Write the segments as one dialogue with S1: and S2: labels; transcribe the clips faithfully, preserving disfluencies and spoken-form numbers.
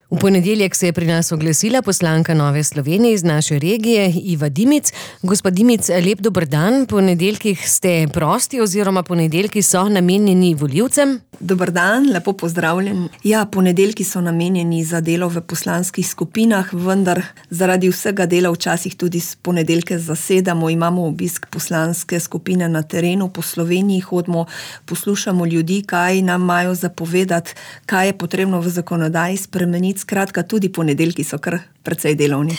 S1: V ponedeljek se je pri nas oglasila poslanka Nove Slovenije iz naše regije, Iva Dimic. Gospa Dimic, lep dober dan. Ponedeljkih ste prosti oziroma ponedeljki so namenjeni volivcem?
S2: Dober dan, lepo pozdravljen. Ja, ponedeljki so namenjeni za delo v poslanskih skupinah, vendar zaradi vsega dela včasih tudi ponedeljke zasedamo. Imamo obisk poslanske skupine na terenu po Sloveniji, hodimo, poslušamo ljudi, kaj nam imajo zapovedati, kaj je potrebno v zakonodaji spremeniti. Skratka, tudi ponedeljki so kar precej delovni.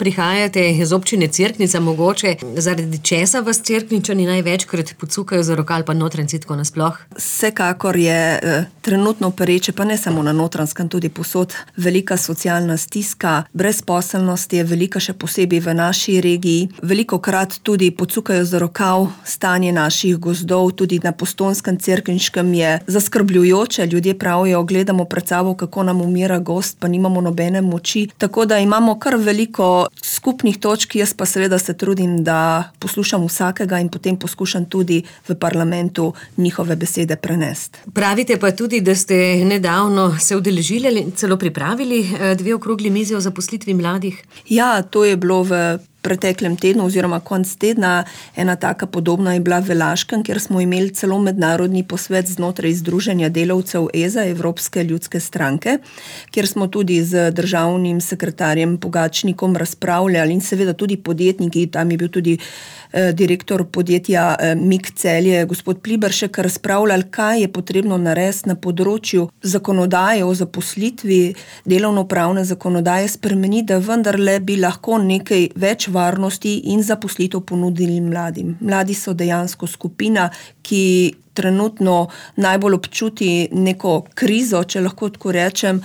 S1: Prihajate iz občine Cerknica, mogoče zaradi česa vas Cerkničani največkrat pocukajo za rokav ali pa Notranjci tako nasploh?
S2: Vsekakor je eh, trenutno pereče, pa ne samo na Notranjskem, tudi povsod velika socialna stiska, brezposelnost je velika še posebej v naši regiji. Velikokrat tudi pocukajo za rokav stanje naših gozdov, tudi na Postojnskem, Cerkniškem je zaskrbljujoče. Ljudje pravijo, gledamo pred sabo, kako nam umira gozd, pa nimamo nobene moči. Tako da imamo kar veliko skupnih točk, jaz pa seveda se trudim, da poslušam vsakega in potem poskušam tudi v parlamentu njihove besede prenesti.
S1: Pravite pa tudi, da ste nedavno se udeležili, celo pripravili dve okrogli mizi o zaposlitvi mladih.
S2: Ja, to je bilo v preteklem tednu oziroma konc tedna. Ena taka podobna je bila v Laškem, kjer smo imeli celo mednarodni posvet znotraj Združenja delavcev E Z A, Evropske ljudske stranke, kjer smo tudi z državnim sekretarjem Pogačnikom razpravljali in seveda tudi podjetniki, tam je bil tudi eh, direktor podjetja eh, Mik Celje, gospod Pliberšek, razpravljali, kaj je potrebno narediti na področju zakonodaje o zaposlitvi, delovnopravne zakonodaje spremeniti, da vendarle bi lahko nekaj več varnosti in zaposlitev ponudili mladim. Mladi so dejansko skupina, ki trenutno najbolj občuti neko krizo, če lahko tako rečem,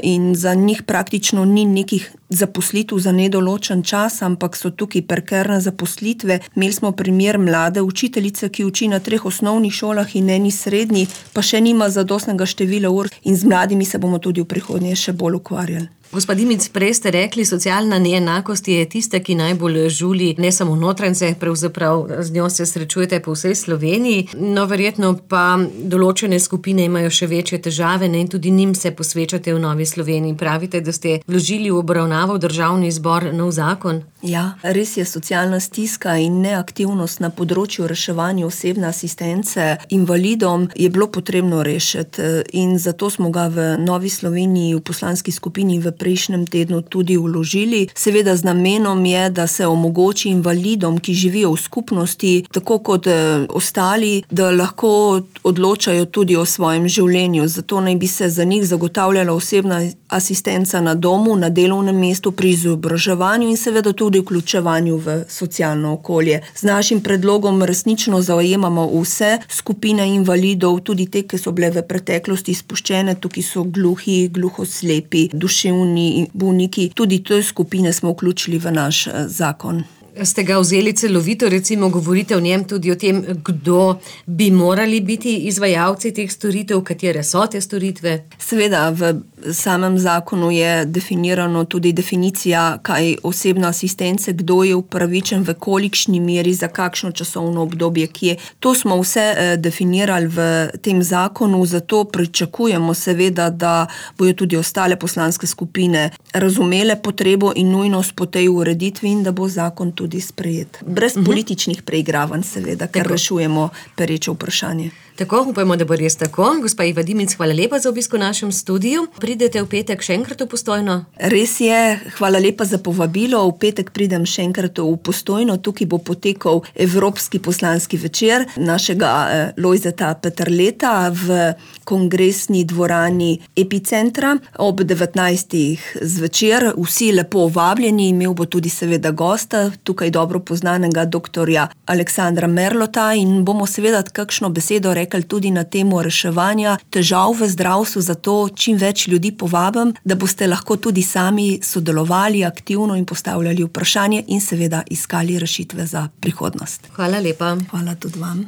S2: in za njih praktično ni nekih zaposlitev za nedoločen čas, ampak so tukaj prekerne zaposlitve. Imeli smo primer mlade učiteljice, ki uči na treh osnovnih šolah in eni srednji, pa še nima zadostnega števila ur in z mladimi se bomo tudi v prihodnje še bolj ukvarjali.
S1: Gospa Dimic, prej ste rekli, socialna neenakost je tista, ki najbolj žuli ne samo Notranjce, pravzaprav z njo se srečujete po vsej Sloveniji, no verjetno pa določene skupine imajo še večje težave, ne, in tudi njim se posvečate v Novi Sloveniji. Pravite, da ste vložili v obravnavo v Državni zbor nov zakon?
S2: Ja, res je, socialna stiska in neaktivnost na področju reševanja osebne asistence invalidom je bilo potrebno rešiti in zato smo ga v Novi Sloveniji v poslanski skupini v prejšnjem tednu tudi vložili. Seveda z namenom je, da se omogoči invalidom, ki živijo v skupnosti, tako kot eh, ostali, da lahko odločajo tudi o svojem življenju. Zato naj bi se za njih zagotavljala osebna asistenca na domu, na delovnem mestu, pri izobraževanju in seveda tudi vključevanju v socialno okolje. Z našim predlogom resnično zajemamo vse skupine invalidov, tudi te, ki so bile v preteklosti izpuščene, tukaj so gluhi, gluhoslepi, duševni bolniki, tudi te skupine smo vključili v naš zakon.
S1: Ste ga vzeli celovito, recimo govorite o njem tudi o tem, kdo bi morali biti izvajalci teh storitev, katere so te storitve?
S2: Seveda, v samem zakonu je definirano tudi definicija, kaj osebna asistence, kdo je upravičen, v kolikšni meri, za kakšno časovno obdobje, kje. To smo vse eh, definirali v tem zakonu, zato pričakujemo seveda, da bojo tudi ostale poslanske skupine razumele potrebo in nujnost po tej ureditvi in da bo zakon tudi sprejet. Brez uh-huh. političnih preigravanj seveda, ker tako rešujemo pereče vprašanje.
S1: Tako, upajmo, da bo res tako. Gospa Iva Dimic, hvala lepa za obisk v našem studiu. Pridete v petek še enkrat v Postojno?
S2: Res je, hvala lepa za povabilo. V petek pridem še enkrat v Postojno. Tukaj bo potekal Evropski poslanski večer našega eh, Lojzeta Peterleta v kongresni dvorani Epicentra ob devetnajstih zvečer. Vsi lepo vabljeni, imel bo tudi seveda gosta, tukaj dobro poznanega doktorja Aleksandra Merlota in bomo seveda kakšno besedo rekli tudi na temo reševanja težav v zdravstvu, zato čim več ljudi povabim, da boste lahko tudi sami sodelovali aktivno in postavljali vprašanje in seveda iskali rešitve za prihodnost.
S1: Hvala lepa.
S2: Hvala tudi vam.